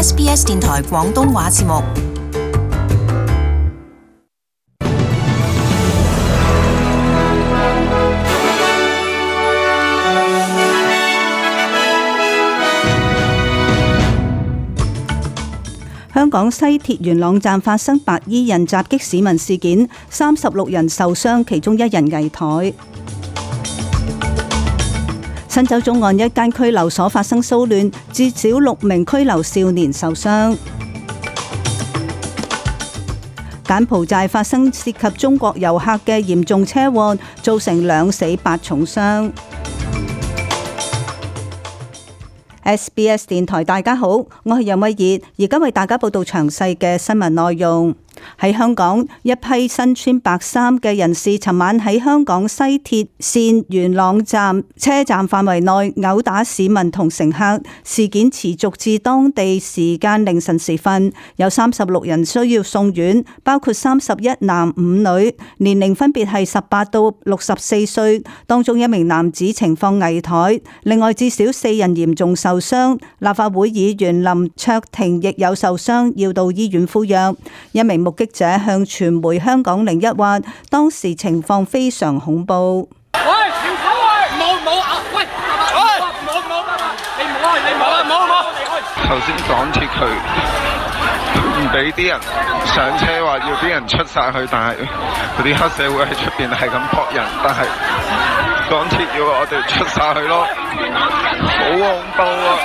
SBS 電台廣東話節目。香港西鐵元朗站發生白衣人襲擊市民事件，36人受傷，其中1人危殆。新州中岸一間拘留所發生騷亂，至少6名拘留少年受傷。柬埔寨發生涉及中國遊客嘅嚴重車禍，造成2死8重傷。SBS 電台，大家好，我係楊慧儀，而家為大家報道詳細嘅新聞內容。喺香港，一批身穿白衫嘅人士尋晚喺香港西鐵綫元朗站車站範圍內毆打市民同乘客，事件持續至當地時間凌晨時分，有36人需要送院，包括31男5女，年齡分別係18到64歲，當中1名男子情況危殆，另外至少4人嚴重受傷。立法會議員林卓廷亦有受傷，要到醫院敷藥。一名目擊者向傳媒香港01話，當時情況非常恐怖。喂，停手啊！冇啊！喂，你冇！頭先港鐵佢唔俾啲人上車，話要啲人出晒去，但係嗰啲黑社會喺出邊係咁撲人，但係港鐵要我哋出晒去咯，好恐怖啊！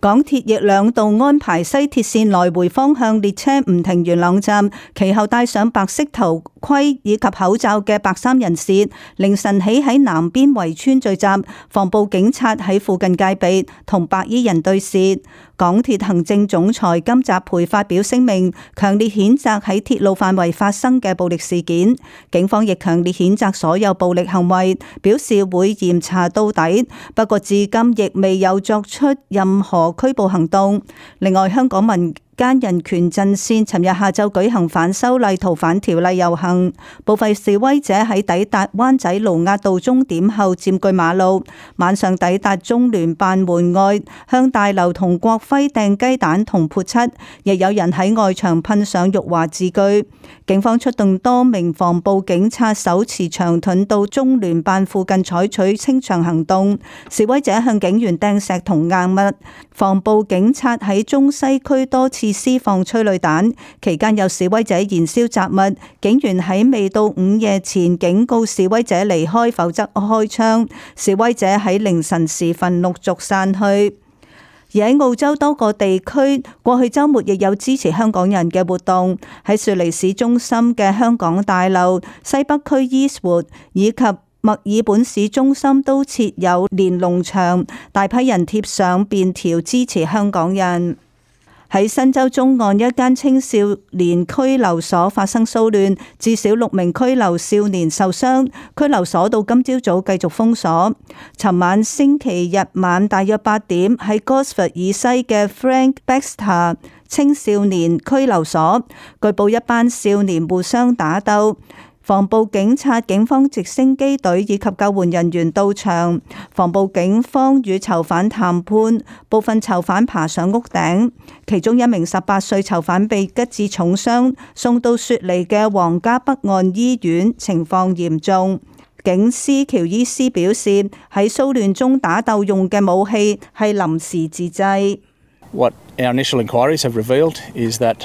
港鐵亦2度安排西鐵線來回方向列車唔停元朗站，其後戴上白色頭盔以及口罩嘅白衫人士，凌晨起喺南邊圍村聚集，防暴警察喺附近戒備，同白衣人對峙。港鐵行政總裁金澤培發表聲明，強烈譴責喺鐵路範圍發生嘅暴力事件。警方亦強烈譴責所有暴力行為，表示會嚴查到底。不過至今亦未有作出任何拘捕行動。另外，香港民間人權陣線尋日下晝舉行反修例逃犯條例遊行，部分示威者喺抵達灣仔盧押道終點後佔據馬路，晚上抵達中聯辦門外，向大樓同國徽掟雞蛋同潑漆，亦有人喺外牆噴上辱華字句。警方出動多名防暴警察手持長盾到中聯辦附近採取清場行動，示威者向警員掟石同硬物，防暴警察喺中西區多次施放催淚彈，期間有示威者燃燒雜物，警員喺未到午夜前警告示威者離開，否則開槍。示威者喺凌晨時分陸續散去。而喺澳洲多個地區，過去週末亦有支持香港人嘅活動，喺雪梨市中心嘅香港大樓、西北區 Eastwood 以及墨爾本市中心都設有連儂牆，大批人貼上便條支持香港人。喺新州中岸一間青少年拘留所發生騷亂，至少6名拘留少年受傷，拘留所到今朝早繼續封鎖。尋晚星期日晚大約8點，喺 Gosford 以西嘅 Frank Baxter 青少年拘留所，據報一班少年互相打鬥。防暴警察、警方直升機隊以及救援人員到場，防暴警方與囚犯談判，部分囚犯爬上屋頂，其中1名18歲囚犯被吉致重傷，送到雪梨嘅皇家北岸醫院，情況嚴重。警司喬伊斯表示，喺騷亂中打鬥用嘅武器係臨時自製。What our initial inquiries have revealed is that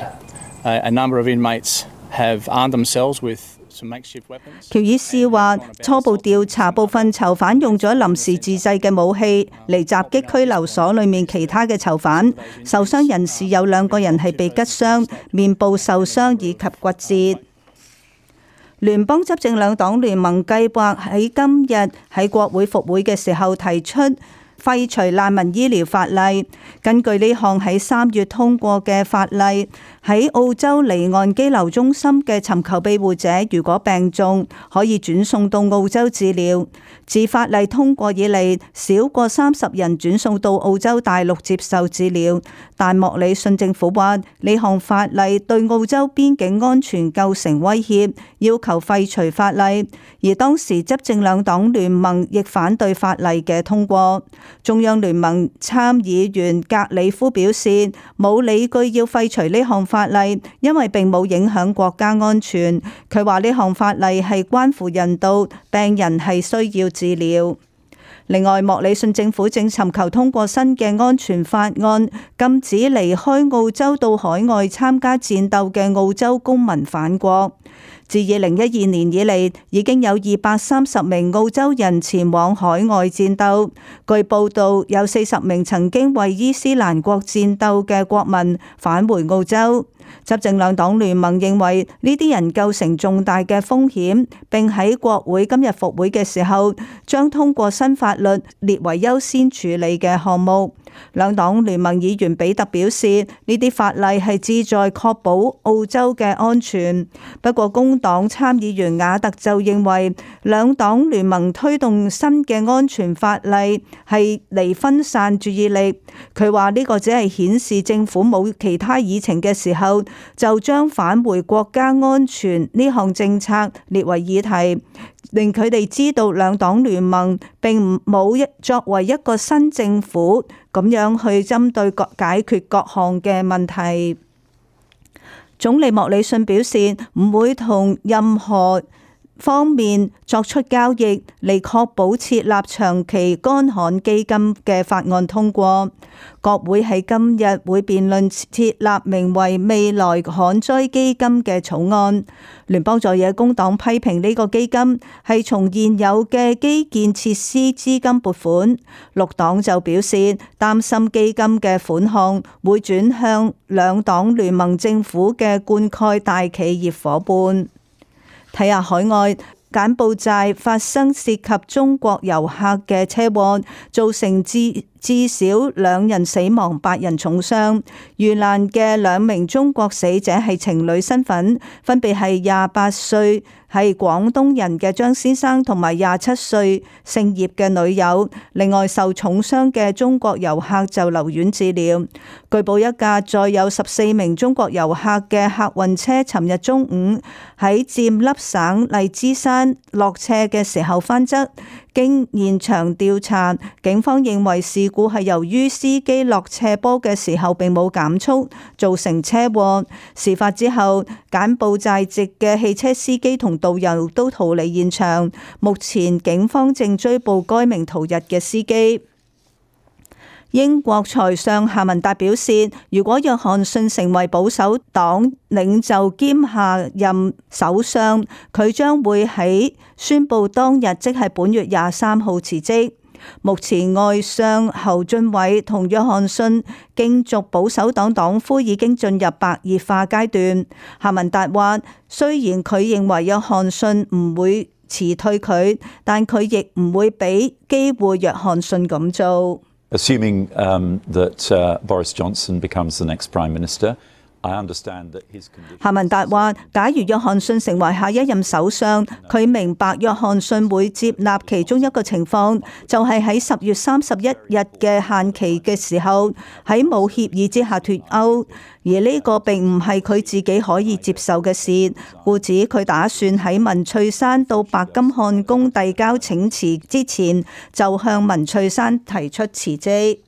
a number of inmates have armed themselves with喬伊斯話：初步調查，部分囚犯用咗臨時自製嘅武器嚟襲擊拘留所裏面其他嘅囚犯。受傷人士有2個人係被吉傷，面部受傷以及骨折。聯邦執政兩黨聯盟計劃喺今日喺國會復會嘅時候提出廢除難民醫療法例。根據呢項喺3月通過嘅法例，喺澳洲離岸羈留中心嘅尋求庇護者，如果病重，可以轉送到澳洲治療。自法例通過以嚟，少過30人轉送到澳洲大陸接受治療。但莫里遜政府話，呢項法例對澳洲邊境安全構成威脅，要求廢除法例。而當時執政兩黨聯盟亦反對法例嘅通過。中央聯盟參議員格里夫表示，冇理據要廢除呢項法例，因為並冇影響國家安全。佢話呢項法例係關乎人道，病人係需要治療。另外，莫里遜政府正尋求通過新嘅安全法案，禁止離開澳洲到海外參加戰鬥嘅澳洲公民返國。自2012年以嚟，已經有230名澳洲人前往海外戰鬥。據報道，有40名曾經為伊斯蘭國戰鬥嘅國民返回澳洲。執政兩黨聯盟認為呢啲人構成重大嘅風險，並喺國會今日復會嘅時候，將通過新法律列為優先處理嘅項目。兩黨聯盟議員比特表示，呢啲法例係旨在確保澳洲嘅安全。不過工黨參議員瓦特就認為，兩黨聯盟推動新嘅安全法例係嚟分散注意力。佢話呢個只係顯示政府冇其他議程嘅時候，就將返回國家安全呢項政策列為議題，令佢哋知道兩黨聯盟並冇作為一個新政府咁樣去針對解決各項嘅問題。總理莫里遜表示唔會同任何方面作出交易嚟確保設立長期乾旱基金嘅法案通過。國會喺今日會辯論設立名為未來旱災基金嘅草案。聯邦在野工黨批評呢個基金係從現有嘅基建設施資金撥款，綠黨就表示擔心基金嘅款項會轉向兩黨聯盟政府嘅灌溉大企業夥伴。睇下海外，柬埔寨發生涉及中國遊客嘅車禍，造成至少2人死亡、8人重傷。遇難嘅2名中國死者係情侶身份，分別係28歲係廣東人嘅張先生同埋27歲姓葉嘅女友。另外受重傷嘅中國遊客就留院治療。據報一架載有14名中國遊客嘅客運車尋日中午喺暹粒省荔枝山落斜嘅時候翻側。經現場調查，警方認為事故係由於司機落斜坡嘅時候並冇減速，造成車禍。事發之後，柬埔寨籍嘅汽車司機同導遊都逃離現場。目前警方正追捕該名逃逸嘅司機。英國財相夏文達表示，如果約翰遜成為保守黨領袖兼下任首相，佢將會喺宣布當日，即係本月23號辭職。目前外相侯俊偉同約翰遜競逐保守黨黨魁已經進入白熱化階段。夏文達話，雖然佢認為約翰遜唔會辭退佢，但佢亦唔會俾機會約翰遜咁做。Assuming that Boris Johnson becomes the next Prime Minister, I understand that his condition. 夏文達話，假如約翰遜成為下一任首相，佢明白約翰遜會接納其中一個情況，就係喺10月31日嘅限期嘅時候，喺冇協議之下脫歐。而呢個並唔係佢自己可以接受嘅事，故此佢打算喺文翠珊到白金漢宮遞交請辭之前，就向文翠珊提出辭職。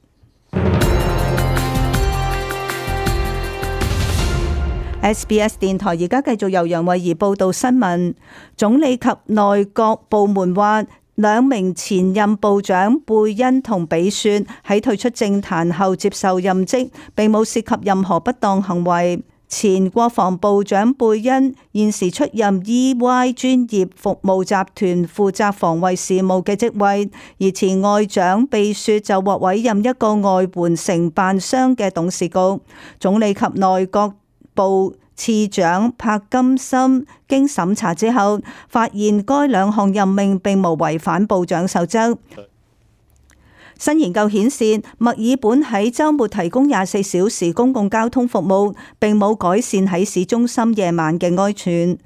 SBS 電台而家繼續由楊慧儀報道新聞。總理及內閣部門話，2名前任部長貝恩同比雪喺退出政壇後接受任職，並冇涉及任何不當行為。前國防部長貝恩現時出任 EY 專業服務集團負責防衛事務嘅職位，而前外長比雪就獲委任一個外援承辦商嘅董事局。總理及內閣部次長柏金森經審查之後，發現該2項任命並無違反部長守則。新研究顯示，墨爾本喺週末提供24小時公共交通服務，並冇改善喺市中心夜晚嘅安全。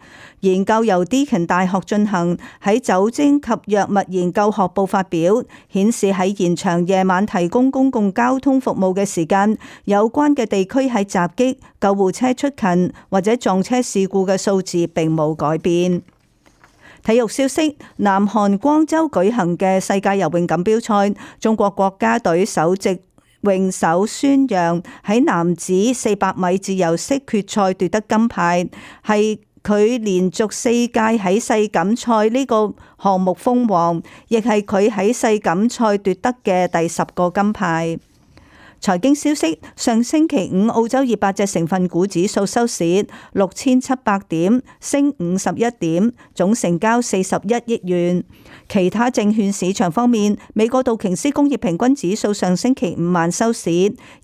研究由 Deakin 大學進行，喺酒精及藥物研究學部發表，顯示喺延長夜晚提供公共交通服務嘅時間，有關嘅地區喺襲擊、救護車出勤或者撞車事故嘅數字並冇改變。體育消息：南韓光州舉行嘅世界游泳錦標賽，中國國家隊首席泳手孫楊喺男子400米自由式決賽奪得金牌，係佢連續4屆喺世錦賽呢個項目封王，亦係佢喺世錦賽奪得嘅第10個金牌。財經消息：上星期五澳洲200隻成分股指數收市6700點，升51點，總成交41億元。其他證券市場方面，美國道瓊斯工業平均指數上星期五晚收市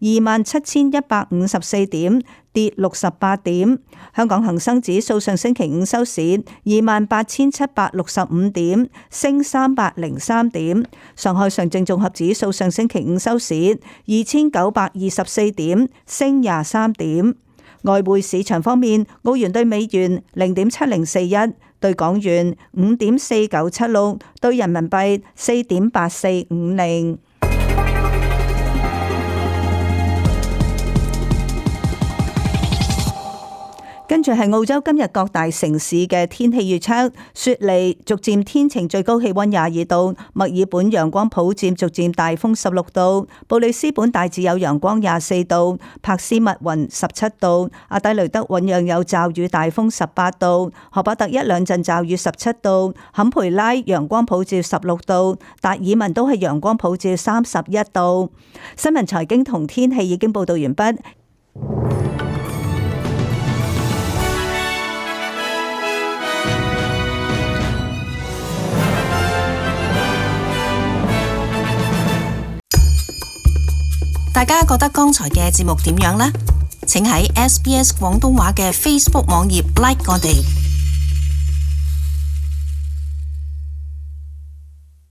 27154點，跌68點。香港恒生指數上星期五收市28765點，升303點。上海上證綜合指數上星期五收市2924點，升23點。外匯市場方面，澳元對美元0.7041，對港元5.4976，對人民幣4.8450。跟住係澳洲今日各大城市嘅天氣預測：雪梨逐漸天晴，最高氣溫22度；墨爾本陽光普照，逐漸大風16度；布里斯本大致有陽光24度；珀斯密雲17度；阿德雷德醞釀有驟雨大風18度；荷伯特一兩陣驟雨17度；坎培拉陽光普照16度；達爾文都係陽光普照31度。新聞財經同天氣已經報道完畢。大家覺得剛才嘅節目點樣呢？請喺SBS 廣東話嘅 Facebook 網頁 like 我哋。